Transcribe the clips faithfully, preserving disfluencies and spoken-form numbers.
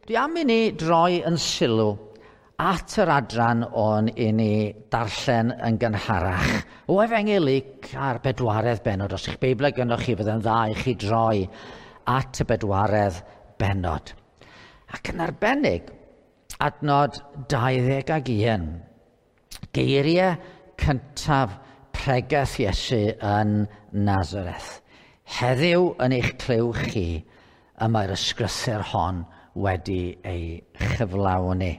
Dwi am i ni droi yn sylw at yr adran o'n i ni darllen yn gynharach. O Efengyl Luc a'r bedwaredd bennod. Os eich Beiblau gynnoch chi, fydde'n dda i chi droi at y bedwaredd bennod. Ac yn arbennig, adnod dau ddeg ag un. Geiriau cyntaf pregeth Iesu yn Nazareth. Heddiw yn eich clyw chi, y mae'r ysgrythur hon wedi ei chyflawni.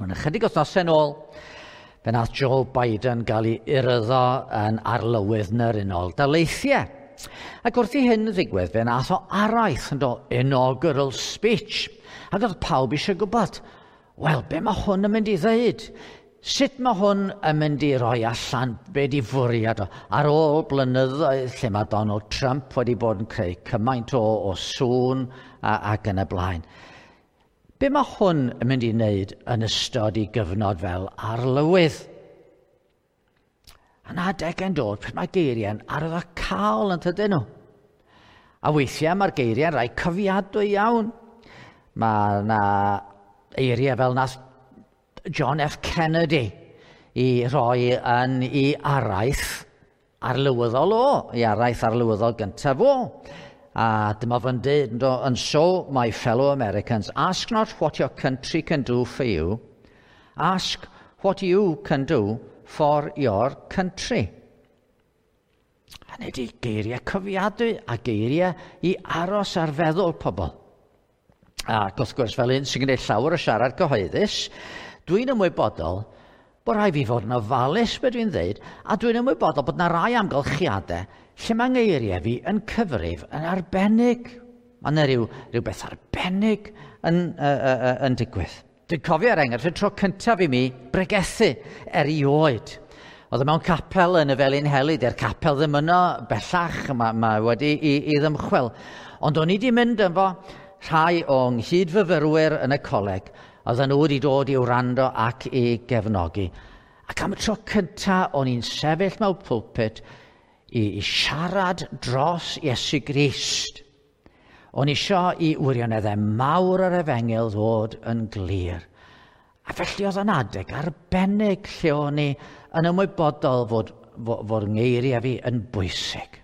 Yn ychydig wythnosau yn ôl, fe nath Joe Biden gael ei uryddo yn arlywydd yn yr Unol Daleithiau. Ac wrth i hyn ddigwydd, fe nath o araith yn do inaugural speech. Ac oedd pawb eisiau gwybod, wel, be mae hwn yn mynd i ddeud? Sut mae hwn yn mynd i roi allan be di fwriad o? Ar ôl blynyddoedd lle mae Donald Trump wedi bod yn creu cymaint o, o sŵn a, ac yn y blaen. Be mae hwn yn mynd i wneud yn ystod i gyfnod fel arlywydd? A na adegau'n dod, pryd mae geiriau'n arwyddocaol yn tydyn nhw. A weithiau mae'r geiriau'n rhai cofiadwy iawn. Mae yna eiriau fel nath John F. Kennedy i roi yn ei araith arlywyddol o, i araith arlywyddol gyntaf o. A dyma fo'n dweud, and so, my fellow Americans, ask not what your country can do for you, ask what you can do for your country. Hynny ydi geiriau cofiadwy a geiriau i aros ar feddwl pobl. Ac wrth gwrs, fel un sy'n gwneud llawer o siarad cyhoeddus, dwi'n ymwybodol bod rhaid fi fod yn ofalus be dwi'n dweud, a dwi'n ymwybodol bod yna rai amgylchiadau lle mae ngeiriau fi yn cyfrif yn arbennig. Mae yna rhyw, rhywbeth arbennig yn, uh, uh, yn digwydd. Dwi'n cofio er enghraifft y tro cyntaf i mi bregethu erioed. Oedd e mewn capel yn y Felinheli, di'r capel ddim yno bellach, mae, mae wedi i, i ddymchwel. Ond o'n i wedi mynd efo rhai o'n nghyd-fyfyrwyr yn y coleg, oedden nhw wedi dod i wrando ac i gefnogi. Ac am y tro cyntaf o'n i'n sefyll mewn pulpit i, i siarad dros Iesu Grist. O'n i isio i wirioneddau mawr yr efengyl ddod yn glir. A felly oedd yn adeg arbennig lle o'n i yn ymwybodol fod, fod, fod ngeiriau fi yn bwysig.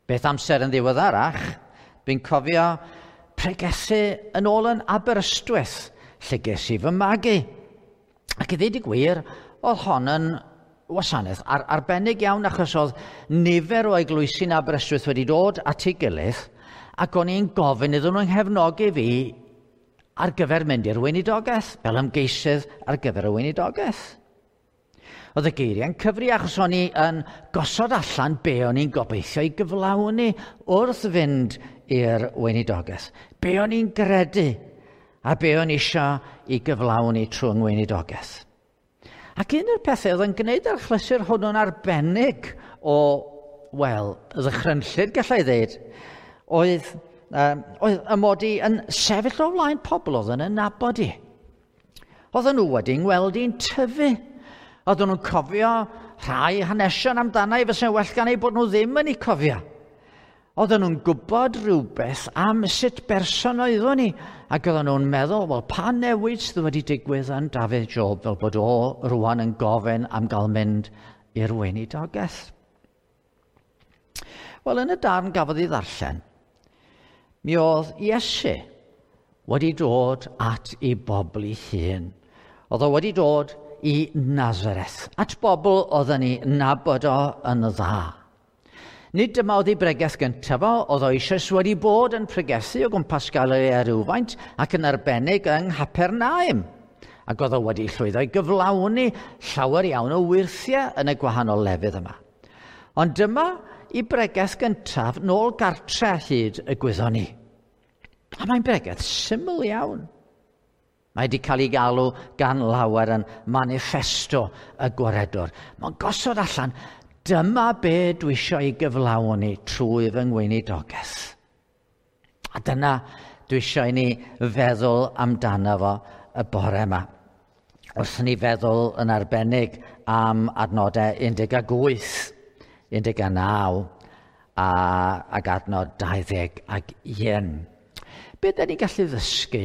Beth amser yn ddiweddarach, dwi'n cofio pregethu yn ôl yn Aberystwyth, lle ges i fy magu. Ac i ddweud y gwir, oedd hon yn wasanaeth ar, arbennig iawn achos oedd nifer o eglwysi'n Aberystwyth wedi dod at ei gilydd ac o'n i'n gofyn iddyn nhw'n nghefnogi fi ar gyfer mynd i'r weinidogaeth, fel ymgeisydd ar gyfer y weinidogaeth. Oedd y geiriau'n cyfri achos o'n i yn gosod allan be o'n i'n gobeithio i gyflawni wrth fynd i'r weinidogaeth. Be o'n i'n gredu a be o'n i eisiau i gyflawni trwy ngweinidogaeth. Ac un o'r pethau oedd yn gwneud yr achlysur hwnnw'n arbennig o, wel, ddychrynllyd gallai ddeud, oedd, um, oedd y mod i yn sefyll o flaen pobl oedd yn nabod i. Oedden nhw wedi ngweld i'n tyfu. Oedden nhw'n cofio rhai hanesion amdana i fysa'n well gan eu bod nhw ddim yn eu cofio. Oedden nhw'n gwybod rhywbeth am sut berson oeddwn i, ac oedden nhw'n meddwl, wel, pa newid sydd wedi digwydd yn Dafydd Job fel bod o rwan yn gofyn am gael mynd i'r weinidogaeth. Wel, yn y darn gafodd ei ddarllen, mi oedd Iesu wedi dod at ei bobl ei hun. Oedd o wedi dod i Nazareth, at bobl oedden ni nabod o yn dda. Nid dyma oedd ei bregeth gyntaf o, oedd o eisoes wedi bod yn pregethu o gwmpas Galilea rhywfaint ac yn arbennig yng Nghapernaum. Ac oedd o wedi llwyddo i gyflawni llawer iawn o wyrthiau yn y gwahanol lefydd yma. Ond dyma ei bregeth gyntaf nôl gartre hyd y gwyddon ni. A mae'n bregeth syml iawn. Mae wedi cael ei galw gan lawer yn manifesto y gwaredwr. Mae'n gosod allan, dyma be dwi eisiau ei gyflawni trwy fy ngweinidogaeth. A dyna dwi eisiau i ni feddwl amdano fo y bore yma. Wrth ni feddwl yn arbennig am adnodau un deg wyth, un deg naw a, ac adnod dau ddeg ac un. Be da ni'n gallu ddysgu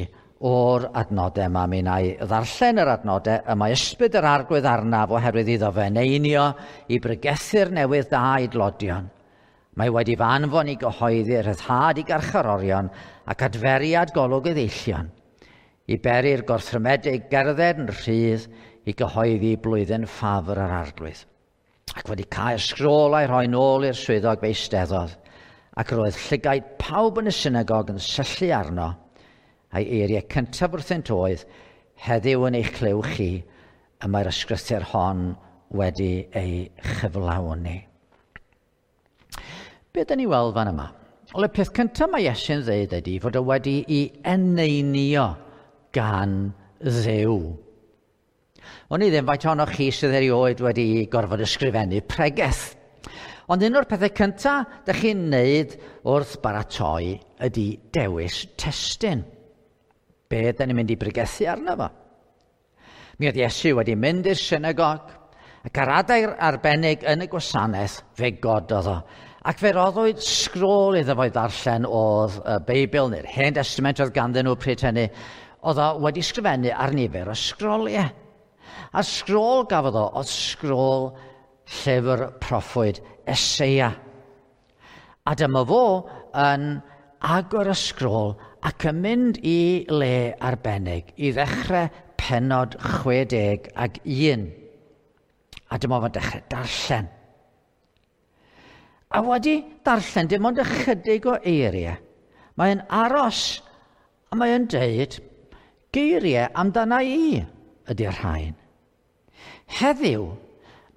o'r adnodau yma? Mi wna i ddarllen yr adnodau y mae ysbryd yr arglwydd arnaf oherwydd iddo fe eneinio i bregethu'r newydd da i dlodion. Mae wedi fy anfon i gyhoeddi rhyddhad i garcharorion ac adferiad golwg i ddeillion, i beri'r gorthrymedig gerdded yn rhydd i gyhoeddi blwyddyn ffafr yr arglwydd. Ac wedi cael sgrôl a'i rhoi nôl i'r swyddog fe eisteddodd, ac roedd llygaid pawb yn y synagog yn syllu arno, a'i eiriau cyntaf wrthynt oedd, heddiw yn eich clyw chi, y mae'r ysgrythur hon wedi ei chyflawni. Be dyn ni weld fan yma? Wel, y peth cyntaf mae Iesu'n dweud ydy fod o wedi ei eneinio gan Dduw. O'n i ddim faint ohonoch chi sydd erioed wedi gorfod ysgrifennu pregeth. Ond un o'r pethau cyntaf dych chi'n neud wrth baratoi ydy dewis testun. Be dyn ni'n mynd i bregethu arno fo? Mi oedd Iesu wedi mynd i'r synagog, ac ar adeg arbennig yn y gwasanaeth fe gododd o. Ac fe roddwyd sgrôl iddo fo i ddarllen oedd y Beibl neu'r Hen Testament oedd ganddyn nhw pryd hynny, oedd o wedi sgrifennu ar nifer o sgroliau. A sgrôl gafodd o oedd sgrôl llyfr proffwyd Eseia. A dyma fo yn agor y sgrôl ac yn mynd i le arbennig i ddechrau pennod chwe deg ag un. A dyma fo'n dechrau darllen. A wedi darllen dim ond ychydig o eiriau, mae'n aros a mae'n deud, geiriau amdana i ydy'r rhain. Heddiw,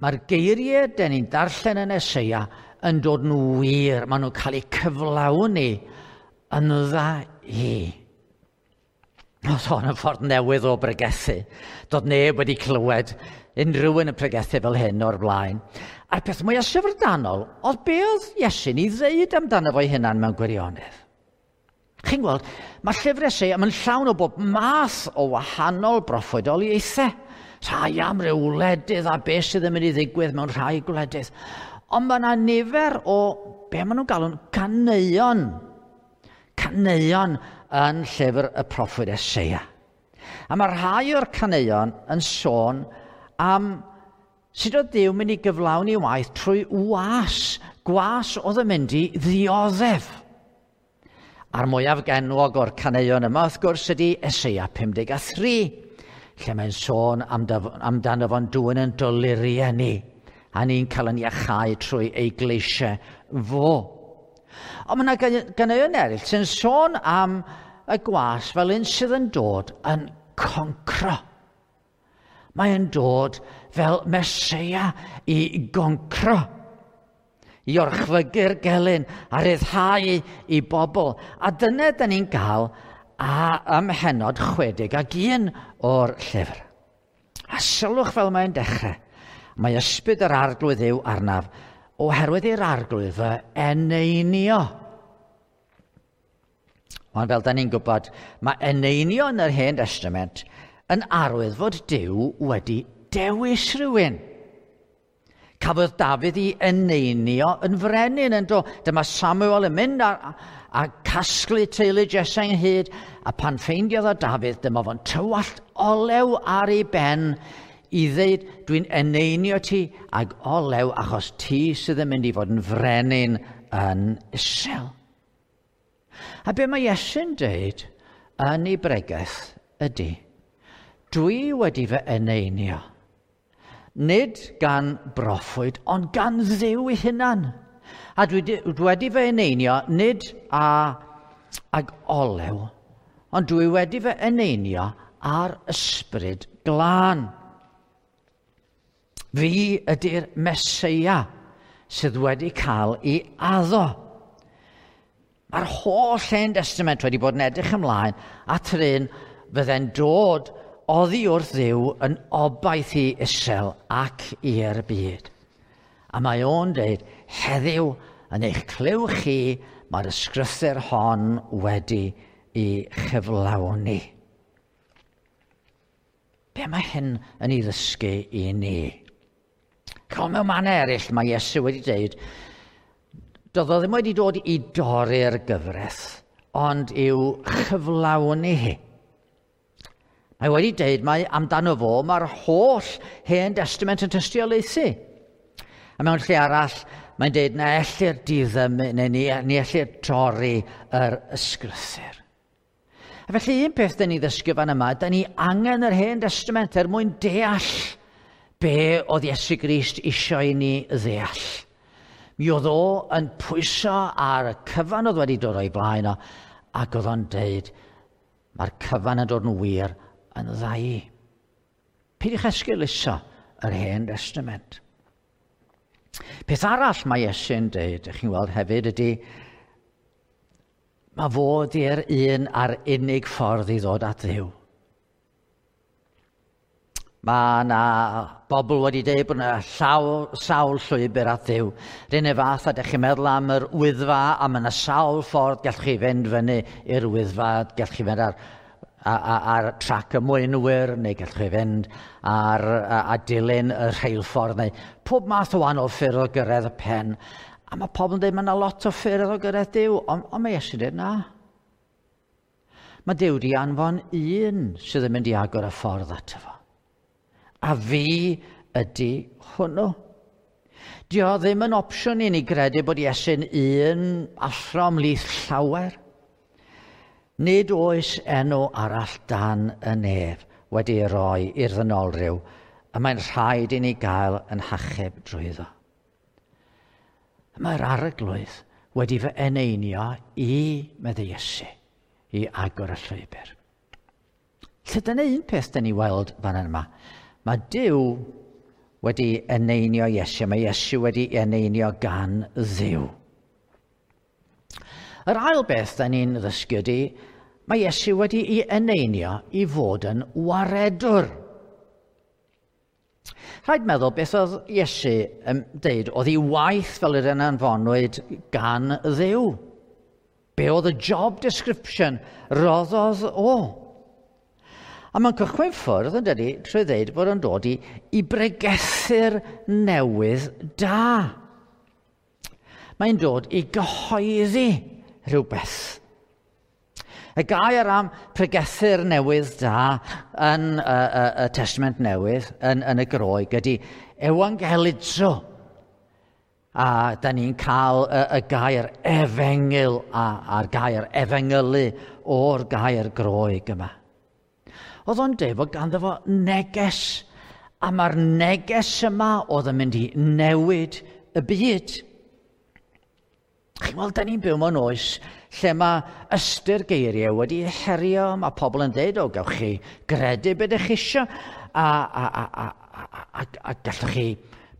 mae'r geiriau den ni'n darllen yn Eseia yn dod yn wir, maen nhw'n cael eu cyflawni yn dda i. Oedd hon yn ffordd newydd o bregethu. Doedd neb wedi clywed unrhyw un yn pregethu fel hyn o'r blaen. A'r peth mwyaf syfrdanol oedd be oedd Iesu'n ei ddeud amdano fo'i hunan mewn gwirionedd. Chi'n gweld, mae llyfr Eseia yn llawn o bob math o wahanol broffwydoliaethau. Rhai am ryw wledydd a beth sydd yn mynd i ddigwydd mewn rhai gwledydd. Ond mae yna nifer o be maen nhw'n galw'n caneuon. Caneuon yn llyfr y proffwyd Eseia. A mae rhai o'r caneuon yn sôn am sut oedd Duw mynd i gyflawni waith trwy was. Gwas oedd yn mynd i ddioddef. A'r mwyaf genwog o'r caneuon yma, wrth gwrs, ydy Eseia pum deg a thri, lle mae'n sôn amdano fo'n dwyn yn doluriau ni, a ni'n cael yn iachau trwy ei gleisiau fo. Ond mae yna ganeuon eraill sy'n sôn am y gwas fel un sydd yn dod yn concro. Mae'n dod fel Meseia i goncro, i orchfygu'r gelyn a ryddhau i bobl. A dyna da ni'n gael a ym mhennod chwe deg ag un o'r llyfr. A sylwch fel mae'n dechrau. Mae ysbryd yr arglwydd yw arnaf, oherwydd i'r arglwydd fy eneinio. Ond fel da ni'n gwybod, mae eneinio yn yr Hen Testament yn arwydd fod Duw wedi dewis rhywun. Cafodd Dafydd ei eneinio yn frenin yn do. Dyma Samuel yn mynd a, a casglu teulu Jesse ynghyd, a pan ffeindiodd o Dafydd, dyma fo'n tywallt olew ar ei ben i ddeud, dwi'n eneinio ti ag olew achos ti sydd yn mynd i fod yn frenin yn Israel. A be mae Iesu'n deud yn ei bregeth ydy, dwi wedi fy eneinio. Nid gan broffwyd, ond gan Dduw ei hunan. A dwi wedi fy eneinio nid a, ag olew, ond dwi wedi fy eneinio ar ysbryd glân. Fi ydy'r Meseia sydd wedi cael ei addo. Mae'r holl Hen Testament wedi bod yn edrych ymlaen at yr un fydde'n dod oddi wrth Dduw yn obaith i Israel ac i'r byd. A mae o'n dweud, heddiw yn eich clyw chi, mae'r ysgrythur hon wedi ei chyflawni. Be mae hyn yn ei ddysgu i ni? Chos mewn mannau eraill mae Iesu wedi dweud, doedd o ddim wedi dod i dorri'r gyfraith, ond i'w chyflawni hi. Mae wedi deud mai amdano fo mae'r holl Hen Testament yn tystiolaethu. A mewn lle arall, mae'n deud na ellir diddymu, neu ni, ni ellir torri yr ysgrythur. A felly un peth dyn ni ddysgu fan yma, dyn ni angen yr Hen Testament er mwyn deall be oedd Iesu Grist eisiau i ni ddeall. Mi oedd o yn pwyso ar y cyfan oedd wedi dod o'i blaen o, ac oedd o'n deud, mae'r cyfan yn dod yn wir yn ddau. Peidiwch esgeuluso yr Hen Testament. Peth arall mae Iesu'n deud, ych chi'n weld hefyd, ydy mae fod i'r un a'r unig ffordd i ddod at Dduw. Mae yna bobl wedi dweud bod yna llaw, sawl llwybr at Dduw. R'un fath a ydych chi'n meddwl am yr Wyddfa, a mae yna sawl ffordd gallwch chi fynd fyny i'r Wyddfa, gallwch chi fynd ar, ar, ar trac y mwynwyr, neu gallwch chi fynd ar, a, a dilyn y rheilffordd, neu pob math o wahanol ffyrdd o gyrraedd y pen. A mae pobl yn dweud mae yna lot o ffyrdd o gyrraedd Duw, ond on mae Iesu'n dweud na. Mae Duw wedi anfon un sydd yn mynd i agor y ffordd ato fo. A fi ydy hwnnw. Dio ddim yn opsiwn i ni gredu bod Iesu'n un athro ymhlith llawer. Nid oes enw arall dan y nef wedi ei roi i'r ddynolryw, y mae'n rhaid i ni gael yn hachub drwyddo. Mae'r Arglwydd wedi fy eneinio i, meddai Iesu, i agor y llwybr. Lle dyna un peth dyn ni weld fan yma. Mae Duw wedi eneinio Iesu, mae Iesu wedi eneinio gan Dduw. Yr ail beth da ni'n ddysgu ydy, mae Iesu wedi ei eneinio i fod yn waredwr. Rhaid meddwl beth oedd Iesu yn deud oedd ei waith fel yr un anfonwyd gan Dduw. Be oedd y job description roddodd o? A mae'n cychwyn ffwrdd yn dydy trwy ddeud bod o'n dod i, i bregethu'r newydd da. Mae'n dod i gyhoeddi rhywbeth. Y gair am pregethu'r newydd da yn y, y, y Testament Newydd, yn, yn y Groeg, ydy euangelizo. A da ni'n cael y, y gair efengyl a, a'r gair efengylu o'r gair Groeg yma. Oedd o'n dweud fod ganddo fo neges, a mae'r neges yma oedd yn mynd i newid y byd. Chi'n weld, da ni'n byw mewn oes lle mae ystyr geiriau wedi herio, mae pobl yn dweud, o, gewch chi gredu beth ydych chi isio, a, a, a, a, a, a, a gallwch chi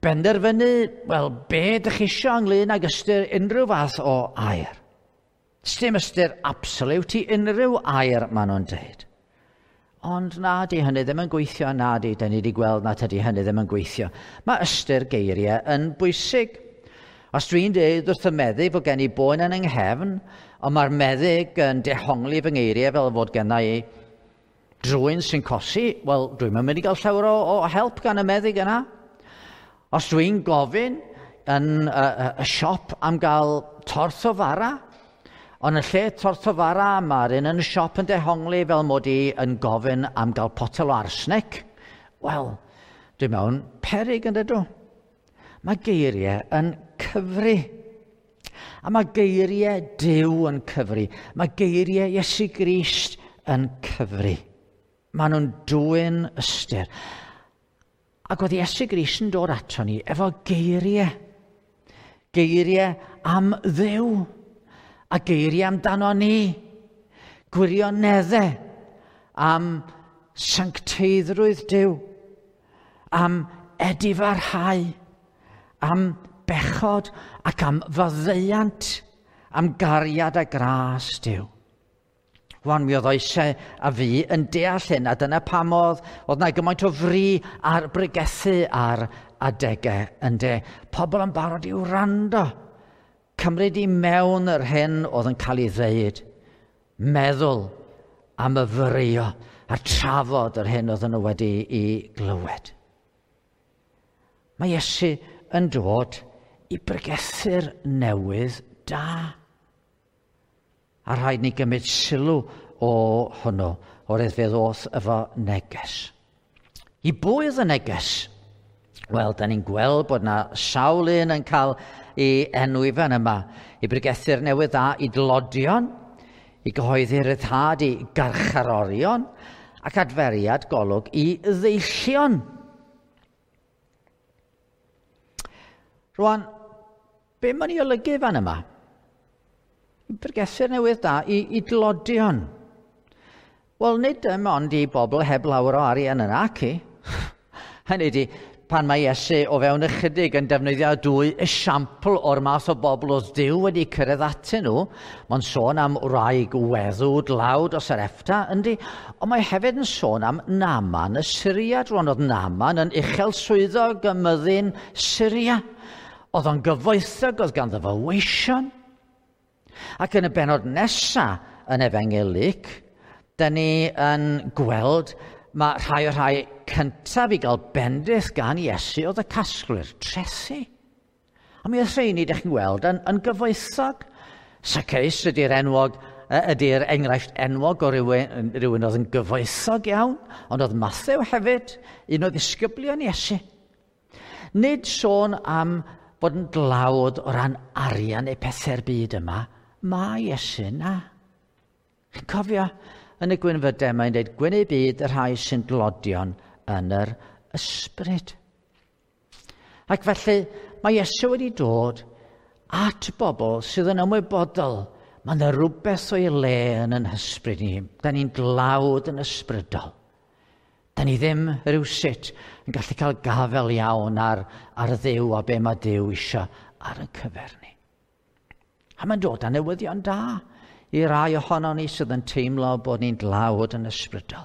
benderfynu, wel, be ydych chi isio ynglyn ag ystyr unrhyw fath o air. Sdim ystyr absolute i unrhyw air, maen nhw'n dweud. Ond na, di hynny ddim yn gweithio, na di, da ni wedi gweld na tydi hynny ddim yn gweithio. Mae ystyr geiriau yn bwysig. Os dwi'n dweud wrth y meddyg fod gen i boen yn yng nghefn, ond mae'r meddyg yn dehongli fy ngeiriau fel fod gen i drwyn sy'n cosi, wel, dwi'n mynd i gael llawer o, o help gan y meddyg yna. Os dwi'n gofyn yn y, y, y siop am gael torth o fara, ond yn lle torth o fara, mae'r un yn y siop yn dehongli fel mod i yn gofyn am gael potel o arsenic, wel, dwi'n mewn peryg yn dydw. Mae geiriau yn cyfri. A mae geiriau Duw yn cyfri. Mae geiriau Iesu Grist yn cyfri. Maen nhw'n dwyn ystyr. Ac oedd Iesu Grist yn dod ato ni efo geiriau. Geiriau am Dduw. A geiriau amdano ni. Gwirioneddau am sancteiddrwydd Duw. Am edifarhau. Am bechod ac am faddeuant, am gariad a gras Duw. Wan, mi oedd oesau a fi yn deall hyn, a dyna pam oedd, oedd na gymaint o fri ar bregethu ar adegau yn de. Pobl yn barod i wrando, cymryd i mewn yr hyn oedd yn cael ei ddeud, meddwl a myfyrio a trafod yr hyn oedd nhw wedi i glywed. Mae Iesu yn dod i bregethu'r newydd da. A rhaid ni gymryd sylw o hwnnw, oherwydd fe ddoth efo neges. I bwy oedd y neges? Wel, da ni'n gweld bod na sawl un yn cael ei enwi fan yma. I bregethu'r newydd dda i dlodion, i gyhoeddi ryddhad i garcharorion, ac adferiad golwg i ddeillion. Rwan, be mae'n ei olygu fan yma? I bregethu'r newydd dda i, i dlodion. Wel, nid dim ond i bobl heb lawer o arian yna, ac i. Hynny ydi, pan mae Iesu o fewn ychydig yn defnyddio dwy esiampl o'r math o bobl oedd Duw wedi cyrraedd atyn nhw, mae'n sôn am wraig weddw dlawd o Sarepta, yndi, ond mae hefyd yn sôn am Naaman y Syriad. Rwan oedd Naaman yn uchel swyddog ym myddin Syria. Oedd o'n gyfoethog, oedd ganddo fo weision. Ac yn y bennod nesaf yn Efengyl Luc, da ni yn gweld mae rhai o'r rhai cyntaf i gael bendith gan Iesu oedd y casglwyr trethi. A mi oedd rheini, ydych chi'n gweld, yn, yn gyfoethog. Zacchaeus ydy'r enwog, ydy'r enghraifft enwog o rywun, rhywun oedd yn gyfoethog iawn, ond oedd Mathew hefyd, un o ddisgyblion Iesu. Nid sôn am bod yn dlawd o ran arian neu pethau'r byd yma, mae Iesu na. Chi'n cofio? Yn y gwynfydau mae'n dweud, gwyn eu byd y rhai sy'n dlodion yn yr ysbryd. Ac felly mae Iesu wedi dod at bobl sydd yn ymwybodol. Mae yna rhywbeth o'i le yn yn hysbryd ni. Da ni'n dlawd yn ysbrydol. Da ni ddim rhywsut yn gallu cael gafel iawn ar, ar Dduw a be mae Duw eisiau ar ein cyfer ni. A mae'n dod â newyddion da i rai ohono ni sydd yn teimlo bod ni'n dlawd yn ysbrydol.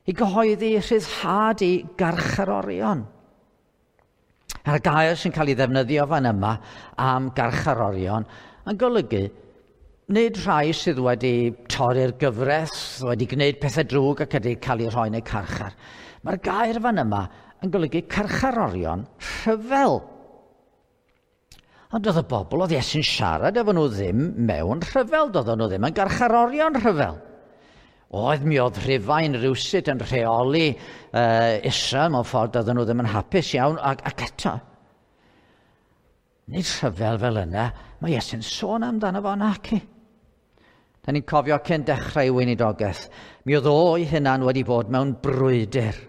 I gyhoeddi rhyddhad i garcharorion. A'r gair sy'n cael ei ddefnyddio fan yma am garcharorion yn golygu nid rhai sydd wedi torri'r gyfraith, wedi gwneud pethau drwg ac wedi cael eu rhoi yn eu carchar. Mae'r gair fan yma yn golygu carcharorion rhyfel. Ond oedd y bobl oedd Iesu'n siarad efo nhw ddim mewn rhyfel, doedden nhw ddim yn garcharorion rhyfel. Oedd mi oedd Rhufain rywsut yn rheoli uh, Israel mewn ffordd doedden nhw ddim yn hapus iawn, ac, ac eto. Nid rhyfel fel yna, mae Iesu'n sôn amdano fo naci. Da ni'n cofio cyn dechrau weinidogaeth, mi oedd o'i hunan wedi bod mewn brwydr.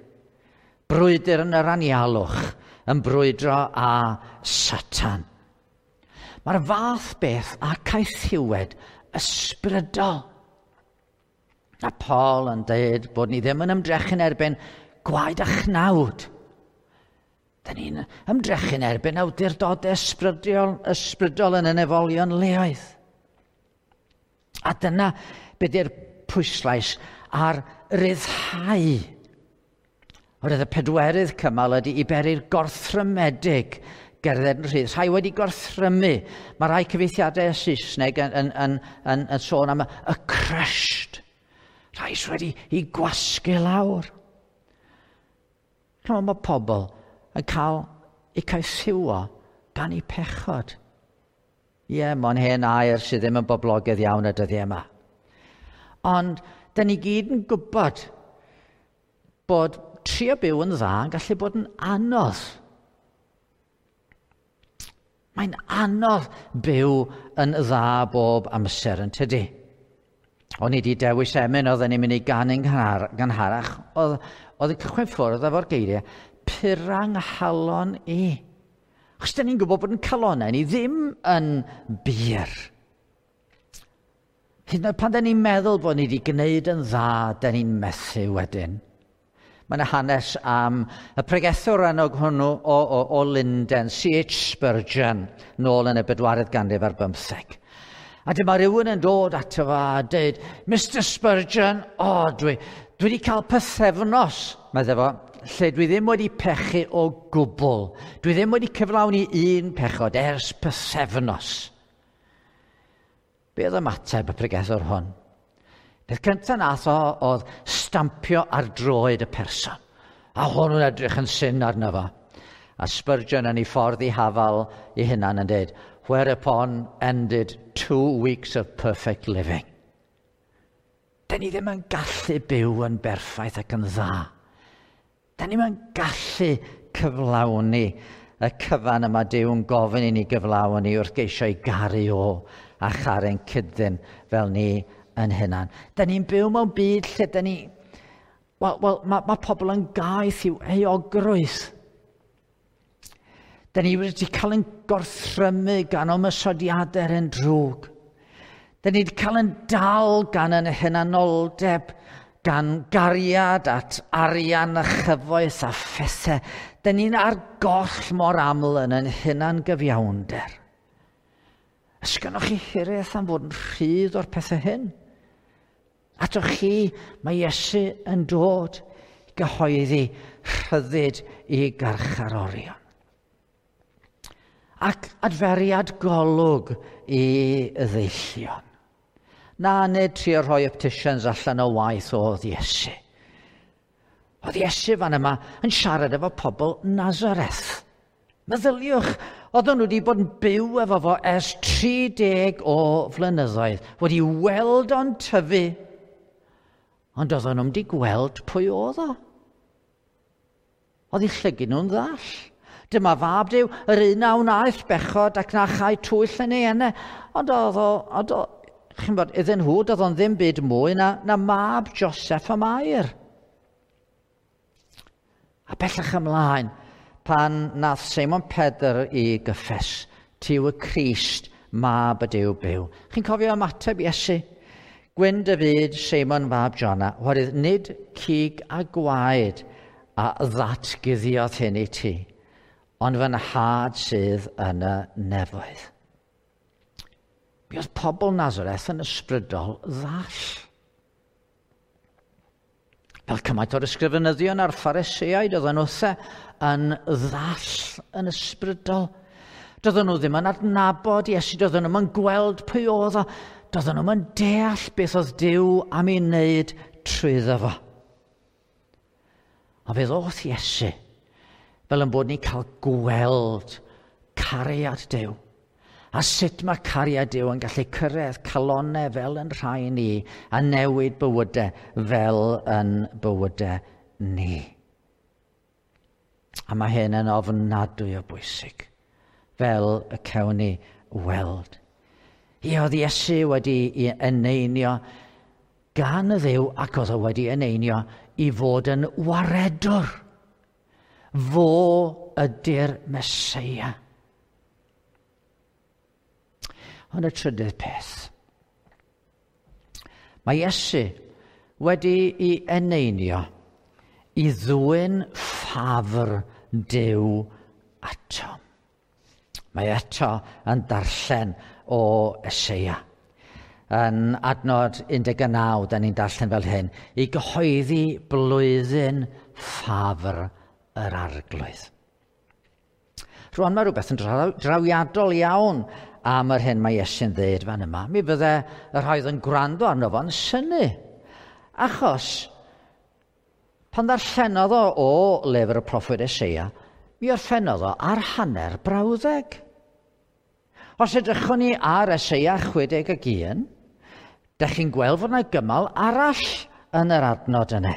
Brwydr yn yr anialwch, yn brwydro â Satan. Mae'r fath beth a caethiwed ysbrydol. A Paul yn dweud bod ni ddim yn ymdrechu'n erbyn gwaed a chnawd. Da ni'n ymdrechu'n erbyn awdurdodau ysbrydol, ysbrydol yn y nefolion leoedd. A dyna be di'r pwyslais ar ryddhau. Oherwydd y pedwerydd cymal ydy i beri'r gorthrymedig gerdded yn rhydd. Rhai wedi gorthrymu. Mae rhai cyfieithiadau Saesneg yn, yn, yn, yn, yn sôn am y crushed. Rhai sydd wedi i gwasgu lawr. Chymod, mae pobl yn cael eu caethiwo gan eu pechod. Ie, yeah, mae'n hen air sydd ddim yn boblogaidd iawn y dyddiau yma. Ond, da ni gyd yn gwybod bod trio byw yn dda yn gallu bod yn anodd. Mae'n anodd byw yn dda bob amser yn tydi. O'n i wedi dewis emyn oedden ni'n mynd i ganu'n gynharach, oedd, oedd yn cychwyn ffwrdd efo'r geiriau, pura 'nghalon i. Achos da ni'n gwybod bod yn calonau ni ddim yn bur. Hyd yn oed pan da ni'n meddwl bod ni wedi gwneud yn dda, da ni'n methu wedyn. Mae yna hanes am y pregethwr enwog hwnnw o, o, o Lunden, C H Spurgeon, nôl yn y bedwaredd ganrif ar bymtheg. A dyma rhywun yn dod ato fo a dweud, Mister Spurgeon, o, oh, dwi, dwi wedi cael pythefnos, meddai fo, lle dwi ddim wedi pechu o gwbl. Dwi ddim wedi cyflawni un pechod ers pythefnos. Be oedd ymateb y pregethwr hwn? Peth cyntaf nath o oedd stampio ar droed y person. A hwnnw'n edrych yn syn arno fo. A Spurgeon yn ei ffordd i hafal ei hunan yn dweud, Whereupon ended two weeks of perfect living. Da ni ddim yn gallu byw yn berffaith ac yn dda. Da ni ddim yn gallu cyflawni y cyfan yma Duw yn gofyn i ni gyflawni wrth geisio i garu o a charu'n cyd-ddyn fel ni yn hunan. Da ni'n byw mewn byd lle da ni... Wel, well, mae, mae pobl yn gaeth i'w euogrwydd. Da ni wedi cael yn gorthrymu gan ymosodiadau yn drwg. Da ni wedi cael yn dal gan yn hunanoldeb, gan gariad at arian a chyfoeth a phethau. Da ni'n ar goll mor aml yn yn hunan gyfiawnder. Ys gynnoch chi hiraeth am fod yn rhydd o'r pethau hyn? Atoch chi, mae Iesu yn dod i gyhoeddi rhyddid i garcharorion. Ac adferiad golwg i ddeillion. Na, nid trio rhoi opticians allan o waith oedd Iesu. Oedd Iesu fan yma yn siarad efo pobl Nazareth. Meddyliwch, oedden nhw wedi bod yn byw efo fo ers tri deg o flynyddoedd, wedi weld o'n tyfu, ond oedden nhw'n wedi gweld pwy oedd o. Oedd eu llygid nhw'n ddall. Dyma fab Duw, yr un a wnaeth bechod ac na chai twyll yn ei enne. Ond oedd o, ond o, chi'n bod, iddyn nhw, doedd o'n ddim byd mwy na, na mab Joseph a Mair. A bellach ymlaen, pan nath Seimon Pedr i gyffes, ti yw y Crist, mab y Duw byw. Chi'n cofio ymateb Iesu? Gwyn dy fyd, Seimon fab Jona, oherwydd nid cig a gwaed a ddatguddiodd hyn i ti, ond fy nhad sydd yn y nefoedd. Mi oedd pobl Nazareth yn ysbrydol ddall. Fel cymaint o'r ysgrifenyddion a'r Phariseaid oedden nhw yn ddall yn ysbrydol. Doedden nhw ddim yn adnabod Iesu, doedden nhw'n gweld pwy oedd o, doedden nhw'n deall beth oedd Duw am ei wneud trwyddo fo. A fe ddoth Iesu, fel yn bod ni'n cael gweld cariad Duw. A sut mae cariad Duw yn gallu cyrraedd calonnau fel yn rhai ni a newid bywydau fel yn bywydau ni. A mae hyn yn ofnadwy o bwysig, fel y cewn ni weld. Ie, oedd Iesu wedi eneinio gan y Dduw ac oedd o wedi eneinio i fod yn waredwr. Fo ydy'r Meseia. Ond y trydydd peth. Mae Iesu wedi ei eneinio i ddwyn ffafr Duw ato. Mae eto yn darllen o Eseia. Yn adnod un deg naw, da ni'n darllen fel hyn, i gyhoeddi blwyddyn ffafr yr Arglwydd. Rwan mae rhywbeth yn drawiadol iawn am yr hyn mae Iesu'n dweud fan yma. Mi fydde y rhai oedd yn gwrando arno fo'n synnu. Achos, pan ddarllenodd o o lyfr y proffwyd Eseia, mi orffennodd o ar hanner brawddeg. Os edrychwn ni ar Eseia chwe deg ac un, dach chi'n gweld fod yna gymal arall yn yr adnod yna,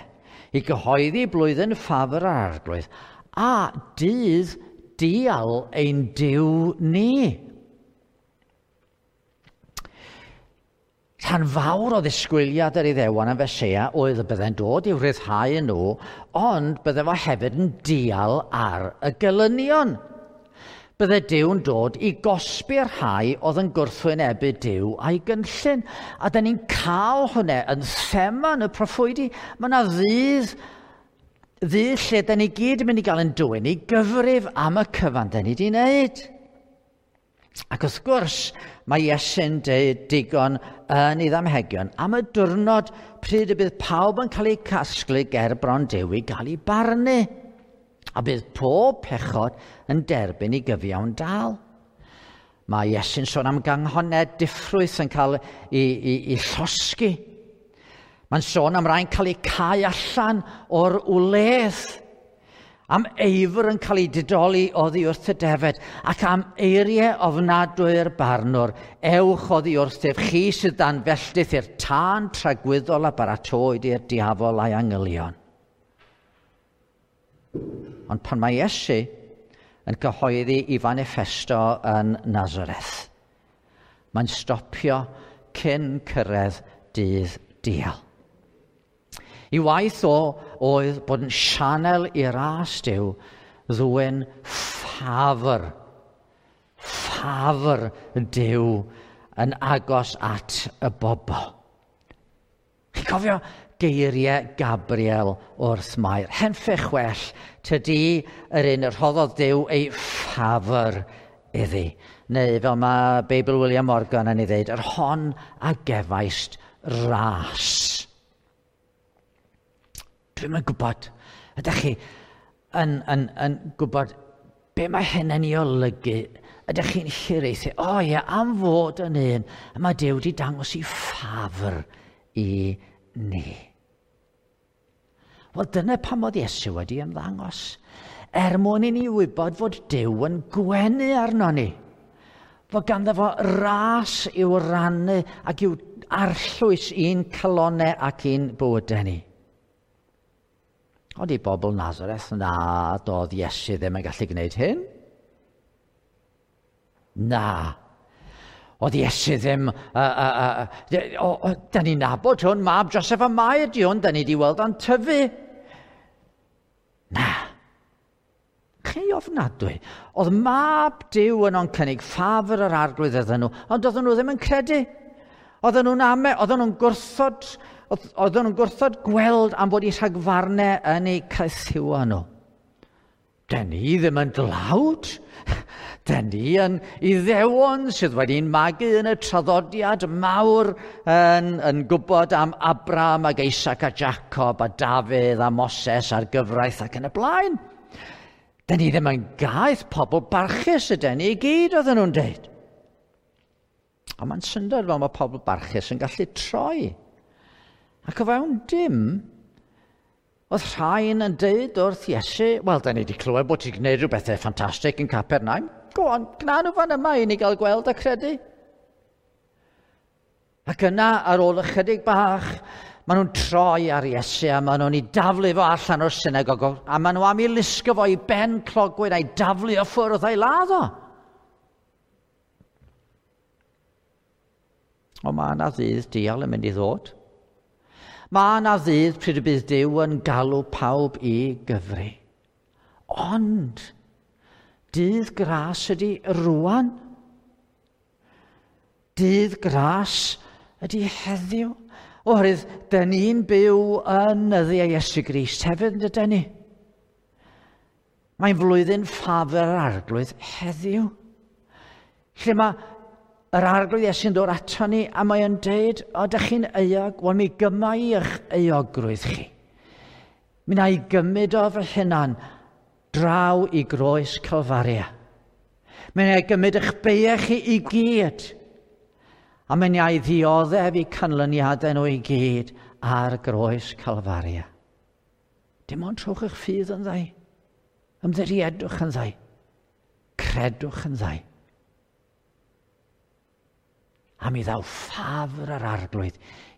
i gyhoeddi blwyddyn ffafr yr Arglwydd, a dydd dial ein Duw ni. Rhan fawr o ddisgwyliad yr Iddewon am Feseia oedd y byddai'n dod i'w rhyddhau nhw, ond bydde fo hefyd yn dial ar y gelynion. Bydde Duw'n dod i gosbi'r rhai oedd yn gwrthwynebu Duw a'i gynllun. A da ni'n cael hwnna yn thema yn y proffwydi. Mae yna ddydd, ddydd lle da ni gyd yn mynd i gael yn dwyn i gyfrif am y cyfan da ni wedi wneud. Ac wrth gwrs, mae Iesu'n deud digon yn ei ddamhegion am y diwrnod pryd y bydd pawb yn cael eu casglu ger bron Duw i gael ei barnu. A bydd pob pechod yn derbyn ei gyfiawn dal. Mae Iesu'n sôn am ganghoned diffrwyth yn cael ei, ei, ei llosgi. Mae'n sôn am rai'n cael eu cau allan o'r wledd. Am eifr yn cael ei didoli oddi wrth y defed, ac am eiriau ofnadwy'r barnwr, ewch oddi wrthyf chi sydd dan felltith i'r tân tragwyddol a baratoed i'r diafol a'i angylion. Ond pan mae Iesu yn cyhoeddi i fanifesto yn Nazareth, mae'n stopio cyn cyrraedd dydd dial. I waith o oedd bod yn sianel i ras Duw ddwyn ffafr, ffafr Duw yn agos at y bobl. Chi'n cofio geiriau Gabriel wrth Mair? Henffych well, tydi yr un y rhoddodd Duw ei ffafr iddi. Neu fel mae Beibl William Morgan yn ei ddeud, yr hon a gefaist ras. Dwi'm yn gwybod, ydych chi yn, yn, yn gwybod be mae hyn yn ei olygu? Ydych chi'n hiraethu? O ie, am fod yn un, a mae Duw wedi dangos i ffafr i ni. Wel, dyna pam oedd Iesu wedi ymddangos. Er mwyn i ni wybod fod Duw yn gwenu arno ni. Fod ganddo fo ras i'w rannu ac i'w arllwys i'n calonau ac i'n bywydau ni. Ond i bobl Nazareth, na, doedd Iesu ddim yn gallu gwneud hyn. Na. Oedd Iesu ddim... Uh, uh, uh, o, o, da ni'n nabod hwn, mab Joseph a Mair di hwn, da ni di weld o'n tyfu. Na. Chi ofnadwy. Oedd mab Duw yn o'n cynnig ffafr yr arglwydd iddyn nhw, ond oedden nhw ddim yn credu. Oedden nhw'n ame, oedden nhw'n gwrthod... Oedden nhw'n gwrthod gweld am fod eu rhagfarnau yn eu caethiwo nhw. Den ni ddim yn dlawd. Den ni yn Iddewon sydd wedi'n magu yn y traddodiad mawr yn, yn gwybod am Abraham ac Isaac a Jacob a Dafydd a Moses a'r gyfraith ac yn y blaen. Den ni ddim yn gaeth pobl barchus ydyn ni i gyd, oedden nhw'n deud. Ond mae'n syndod fel mae pobl barchus yn gallu troi. Ac o fewn dim, oedd rhain yn deud wrth Iesu, wel, da ni wedi clywed bod ti'n gwneud rhyw bethau ffantastig yn Capernaum. Go on, gna nhw fan yma i ni gael gweld a credu. Ac yna, ar ôl ychydig bach, maen nhw'n troi ar Iesu a maen nhw'n ei daflu fo allan o'r synagog a maen nhw am ei lusgo fo i ben clogwyn a'i daflu o ffwrdd a'i ladd o. Ond mae yna ddydd dial yn mynd i ddod. Mae yna ddydd pryd y bydd Duw yn galw pawb i gyfri. Ond, dydd gras ydy rwan. Dydd gras ydy heddiw. Oherwydd, dyn ni'n byw yn nyddiau Iesu Grist hefyd, yn dydyn ni? Mae'n flwyddyn ffafr yr arglwydd heddiw. Lle mae yr arglwydd Iesu'n dod ato ni a mae o'n deud, o, dych chi'n euog, wel mi gyma i eich euogrwydd chi. Mi na i gymryd o fy hunan draw i groes Calfaria. Mi na i gymryd eich beiau chi i gyd. A mi na i ddioddef i canlyniadau nhw i gyd ar groes Calfaria. Dim ond trowch eich ffydd yn ddau. Ymddiriedwch yn ddau. Credwch yn ddau. A mi ddaw ffafr yr arglwydd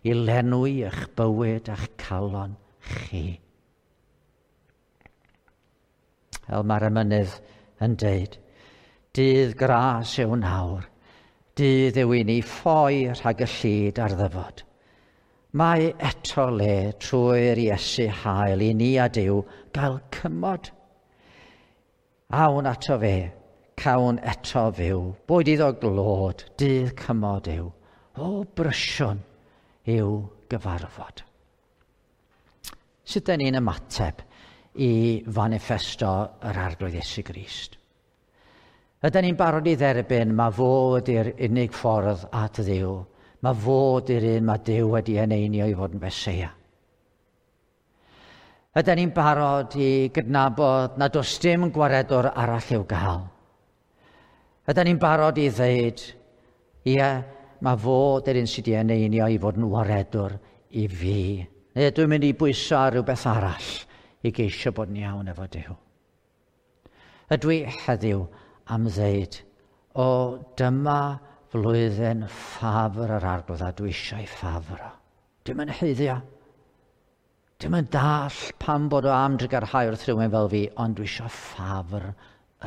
i lenwi eich bywyd a'ch calon chi. Fel mae'r emynydd yn deud, dydd gras yw nawr, dydd yw i ni ffoi rhag y llid ar ddyfod. Mae eto le trwy'r Iesu hael i ni a Duw gael cymod. Awn ato fe, cawn eto fyw, boed iddo glod, dydd cymod yw, o brysiwn yw gyfarfod. Sut dyn ni'n ymateb i fanifesto yr Arglwydd Iesu Grist? Ydyn ni'n barod i dderbyn mae fod i'r unig ffordd at Dduw, mae fod i'r un mae Duw wedi eneinio i fod yn Feseia. Ydyn ni'n barod i gydnabod nad oes dim gwaredwr arall i'w gael? Ydyn ni'n barod i ddeud, ie, mae fod yr un sydd wedi eneinio i fod yn waredwr i fi. Neu dwi'n mynd i bwyso ar rhywbeth arall i geisio bod yn iawn efo Duw. Ydw i heddiw am ddeud, o dyma flwyddyn ffafr yr Arglwydd a dwi eisiau ffafr o. Dwi'm yn haeddu o. Dwi'm yn dall pam bod o am drugarhau wrth rhywun fel fi, ond dwi eisiau ffafr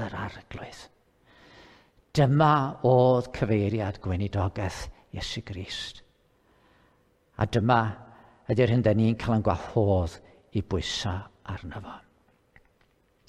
yr Arglwydd. Dyma oedd cyfeiriad gweinidogaeth Iesu Grist. A dyma ydy'r hyn da ni'n cael yn gwahodd i bwysa arno fo.